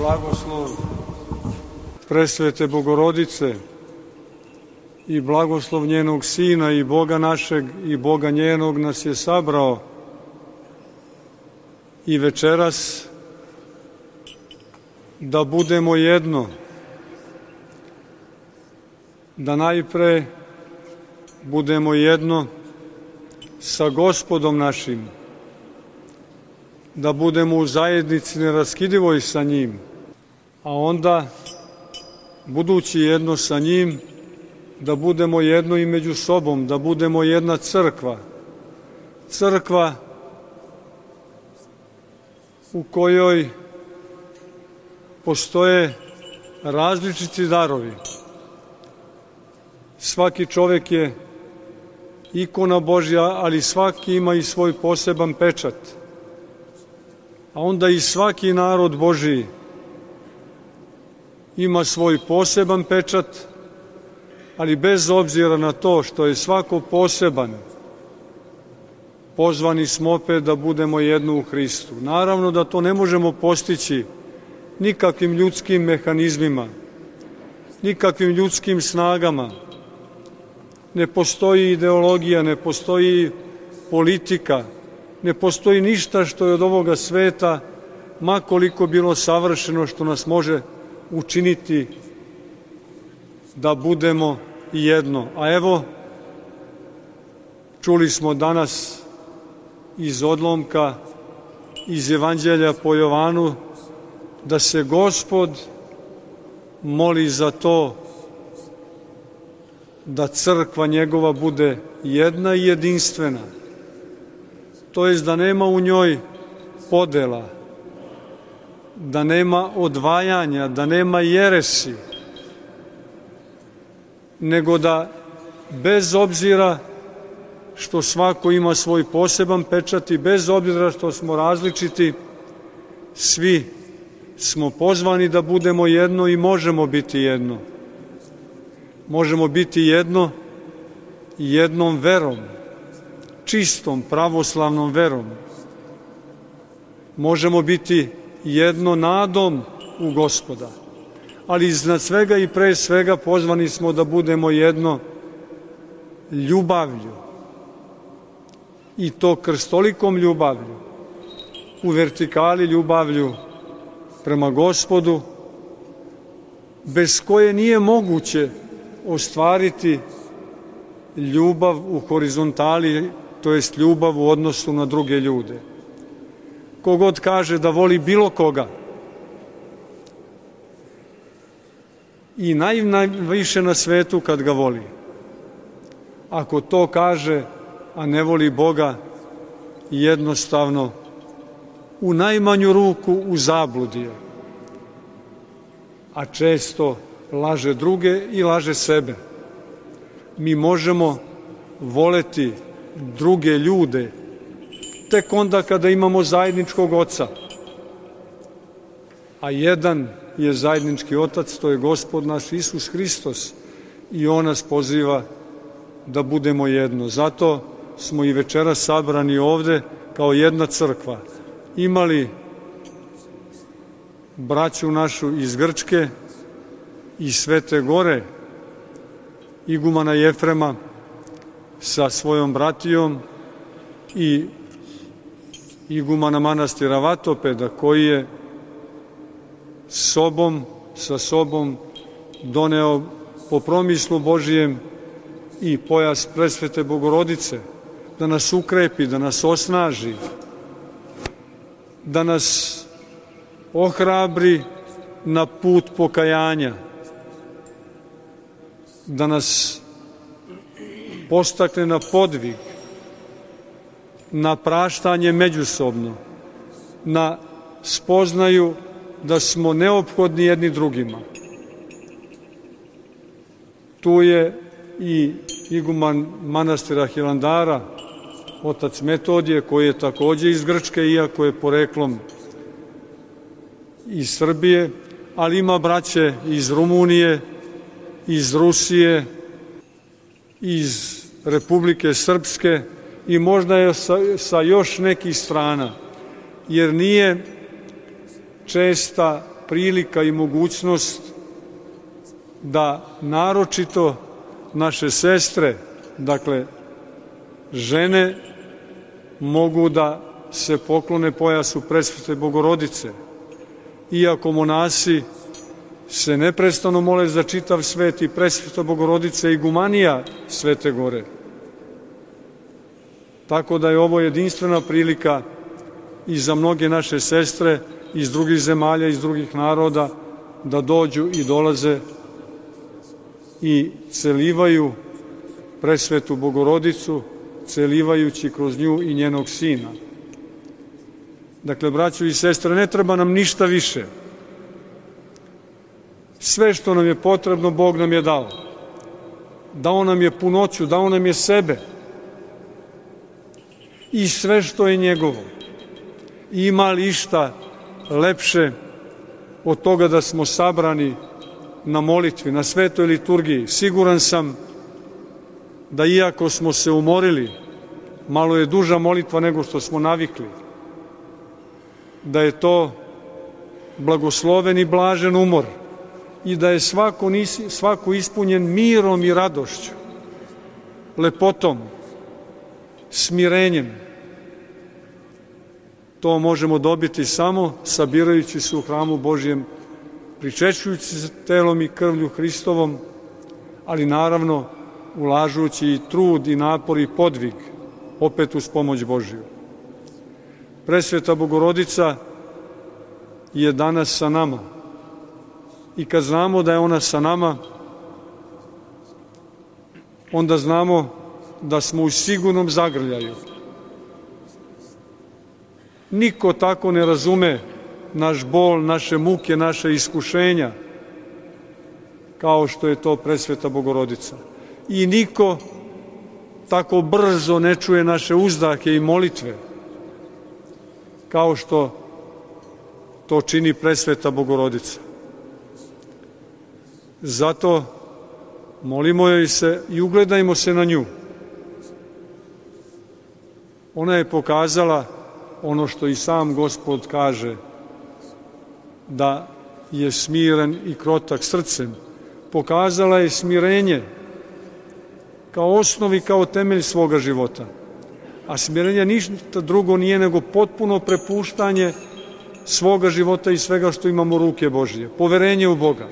blagoslov presvete Bogorodice i blagoslov njenog Sina i Boga našeg i Boga njenog nas je sabrao i večeras da budemo jedno, da najpre budemo jedno sa Gospodom našim, da budemo u zajednici neraskidivoj sa njim, a onda, budući jedno sa njim, da budemo jedno i među sobom, da budemo jedna crkva. Crkva u kojoj postoje različiti darovi. Svaki čovjek je ikona Božja, ali svaki ima i svoj poseban pečat. A onda i svaki narod Božji ima svoj poseban pečat, ali bez obzira na to što je svako poseban, pozvani smo opet da budemo jedno u Hristu. Naravno da to ne možemo postići nikakvim ljudskim mehanizmima, nikakvim ljudskim snagama. Ne postoji ideologija, ne postoji politika, ne postoji ništa što je od ovoga sveta, ma koliko bilo savršeno, što nas može učiniti da budemo jedno. A evo, čuli smo danas iz odlomka iz Evanđelja po Jovanu da se Gospod moli za to da crkva njegova bude jedna i jedinstvena, to jest da nema u njoj podela, da nema odvajanja, da nema jeresi, nego da bez obzira što svako ima svoj poseban pečat i bez obzira što smo različiti, svi smo pozvani da budemo jedno i možemo biti jedno. Možemo biti jedno jednom verom, čistom pravoslavnom verom. Možemo biti jedno nadom u Gospoda, ali iznad svega i pre svega pozvani smo da budemo jedno ljubavlju, i to krstolikom ljubavlju, u vertikali ljubavlju prema Gospodu, bez koje nije moguće ostvariti ljubav u horizontali, to jest ljubav u odnosu na druge ljude. Kogod kaže da voli bilo koga i najviše na svetu kad ga voli, ako to kaže, a ne voli Boga, jednostavno u najmanju ruku u zabludi je, a često laže druge i laže sebe. Mi možemo voleti druge ljude tek onda kada imamo zajedničkog oca, a jedan je zajednički otac, to je Gospod naš Isus Hristos, i on nas poziva da budemo jedno. Zato smo i večeras sabrani ovde kao jedna crkva. Imali braću našu iz Grčke, iz Svete Gore, igumana Jefrema sa svojom bratijom i igumana manastira Vatopeda, koji je sa sobom doneo po promislu Božijem i pojas presvete Bogorodice, da nas ukrepi, da nas osnaži, da nas ohrabri na put pokajanja, da nas postakne na podvig, na praštanje međusobno, na spoznaju da smo neophodni jedni drugima. Tu je i iguman manastira Hilandara, otac Metodije, koji je takođe iz Grčke, iako je poreklom iz Srbije, ali ima braće iz Rumunije, iz Rusije, iz Republike Srpske i možda je sa još nekih strana, jer nije česta prilika i mogućnost da naročito naše sestre, dakle žene, mogu da se poklone pojasu Presvete Bogorodice. Iako monasi se neprestano mole za čitav svet i Presveta Bogorodica i igumanija Svete Gore. Tako da je ovo jedinstvena prilika i za mnoge naše sestre iz drugih zemalja, iz drugih naroda, da dođu i dolaze i celivaju Presvetu Bogorodicu, celivajući kroz nju i njenog Sina. Dakle, braćo i sestre, ne treba nam ništa više. Sve što nam je potrebno, Bog nam je dao. Dao nam je punoću, dao nam je sebe. I sve što je njegovo. Ima li išta lepše od toga da smo sabrani na molitvi, na svetoj liturgiji? Siguran sam da iako smo se umorili, malo je duža molitva nego što smo navikli, da je to blagosloven i blažen umor i da je svako ispunjen mirom i radošću, lepotom, smirenjem. To možemo dobiti samo sabirajući se u hramu Božjem, pričešćujući se telom i krvlju Hristovom, ali naravno ulažući i trud i napor i podvig, opet uz pomoć Božju. Presveta Bogorodica je danas sa nama i kad znamo da je ona sa nama, onda znamo da smo u sigurnom zagrljaju. Niko tako ne razume naš bol, naše muke, naše iskušenja, kao što je to Presveta Bogorodica. I niko tako brzo ne čuje naše uzdahe i molitve, kao što to čini Presveta Bogorodica. Zato molimo joj se i ugledajmo se na nju. Ona je pokazala ono što i sam Gospod kaže, da je smiren i krotak srcem. Pokazala je smirenje kao osnov i kao temelj svoga života. A smirenje ništa drugo nije nego potpuno prepuštanje svoga života i svega što imamo ruke Božje. Poverenje u Boga.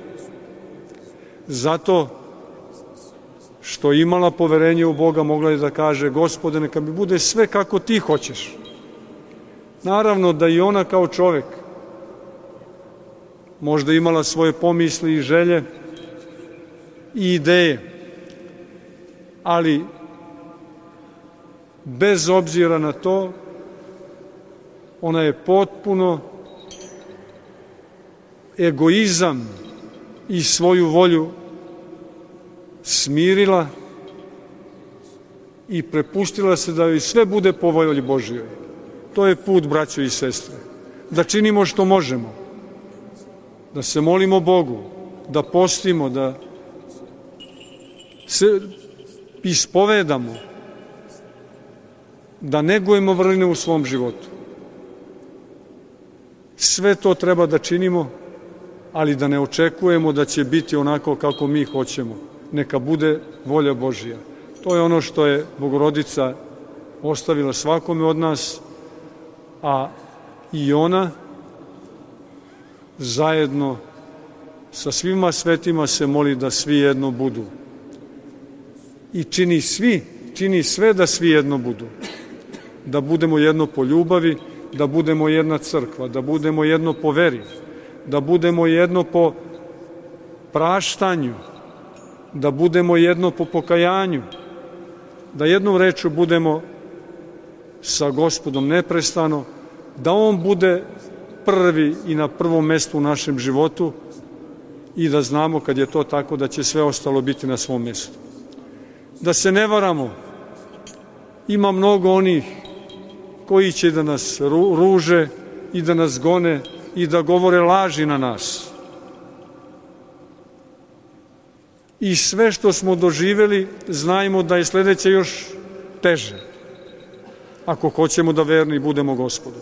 Zato što imala poverenje u Boga, mogla je da kaže: Gospode, neka mi bude sve kako ti hoćeš. Naravno da i ona kao čovek možda imala svoje pomisli i želje i ideje, ali bez obzira na to, ona je potpuno egoizam i svoju volju smirila i prepustila se da joj sve bude po volji Božjoj. To je put, braćo i sestre. Da činimo što možemo. Da se molimo Bogu, da postimo, da se ispovedamo, da negujemo vrline u svom životu. Sve to treba da činimo, ali da ne očekujemo da će biti onako kako mi hoćemo. Neka bude volja Božja. To je ono što je Bogorodica ostavila svakome od nas, a i ona zajedno sa svima svetima se moli da svi jedno budu. I čini sve da svi jedno budu. Da budemo jedno po ljubavi, da budemo jedna crkva, da budemo jedno po veri, da budemo jedno po praštanju, da budemo jedno po pokajanju, da jednom rečju budemo sa Gospodom neprestano, da On bude prvi i na prvom mestu u našem životu i da znamo kad je to tako da će sve ostalo biti na svom mestu. Da se ne varamo, ima mnogo onih koji će da nas ruže i da nas gone i da govore laži na nas. I sve što smo doživeli, znajmo da je sledeće još teže, ako hoćemo da verni budemo Gospodu.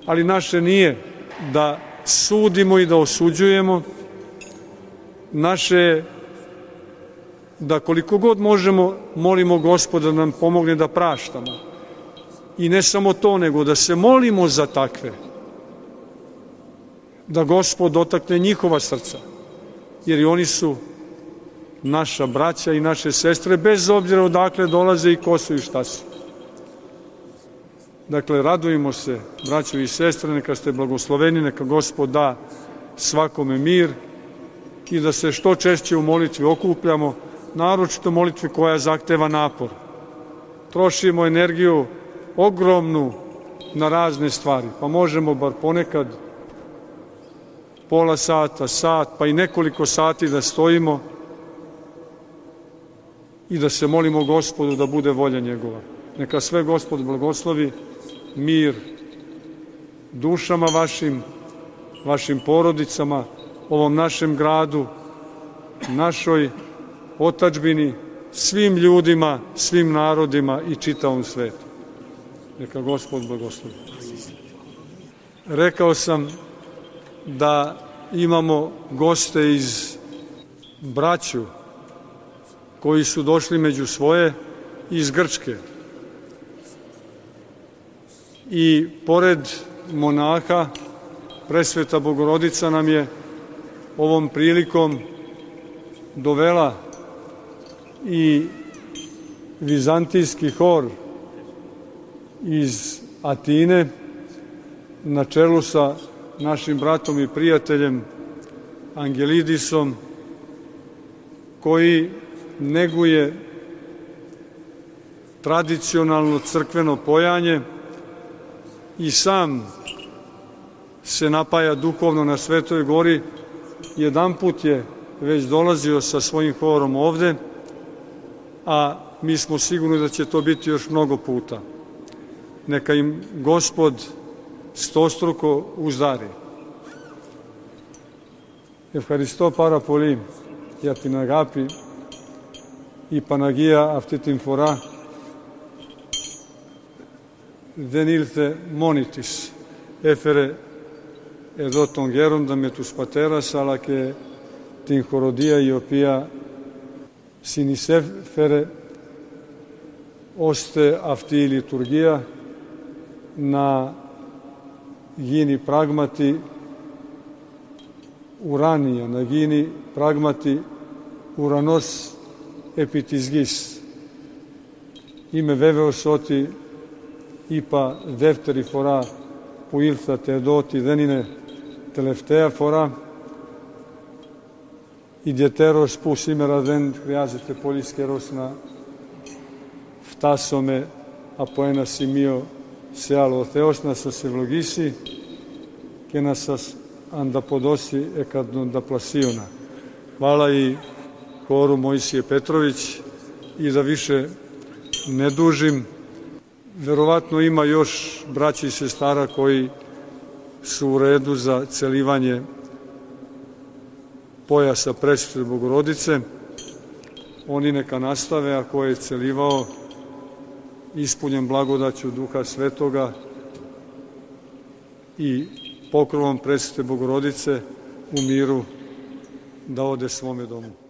Ali naše nije da sudimo i da osuđujemo. Naše je da koliko god možemo molimo Gospoda da nam pomogne da praštamo. I ne samo to, nego da se molimo za takve. Da Gospod dotakne njihova srca. Jer i oni su naša braća i naše sestre, bez obzira odakle dolaze i ko su i šta su. Dakle, radujemo se, braćo i sestre, neka ste blagosloveni, neka Gospod da svakome mir i da se što češće u molitvi okupljamo, naročito molitvi koja zahteva napor. Trošimo energiju ogromnu na razne stvari, pa možemo bar ponekad pola sata, sat, pa i nekoliko sati da stojimo i da se molimo Gospodu da bude volja njegova. Neka sve Gospod blagoslovi, mir dušama vašim porodicama, ovom našem gradu, našoj otadžbini, svim ljudima, svim narodima i čitavom svetu. Neka Gospod blagoslovi. Rekao sam da imamo goste iz braću koji su došli među svoje iz Grčke. I pored monaha, Presveta Bogorodica nam je ovom prilikom dovela i vizantijski hor iz Atine na čelu sa našim bratom i prijateljem Angelidisom, koji neguje tradicionalno crkveno pojanje i sam se napaja duhovno na Svetoj gori. Jedanput je već dolazio sa svojim horom ovde, a mi smo sigurni da će to biti još mnogo puta. Neka im Gospod stostruko uzdari. Ευχαριστώ πάρα πολύ για την αγάπη. Η Παναγία αυτή την φορά δεν ήρθε μόνη της. Έφερε εδώ τον γέροντα με τους πατέρας, αλλά και την χοροδία η οποία συνεισέφερε ώστε αυτή η λειτουργία να γίνει πράγματι ουράνια, να γίνει πράγματι ουρανός επί της γης. Είμαι βέβαιος ότι είπα δεύτερη φορά που ήρθατε εδώ ότι δεν είναι τελευταία φορά. Ιδιαιτέρως που σήμερα δεν χρειάζεται πολύ καιρός να φτάσουμε από ένα σημείο σε άλλο. Ο Θεός να σας ευλογήσει και να σας ανταποδώσει εκατονταπλασίωνα. Hvala i horu Mojsije Petrović i da više ne dužim. Verovatno ima još braća i sestara koji su u redu za celivanje pojasa Presvete Bogorodice. Oni neka nastave, a ko je celivao ispunjen blagodaću Duha Svetoga i pokrovom Presvete Bogorodice u miru da ode svome domu.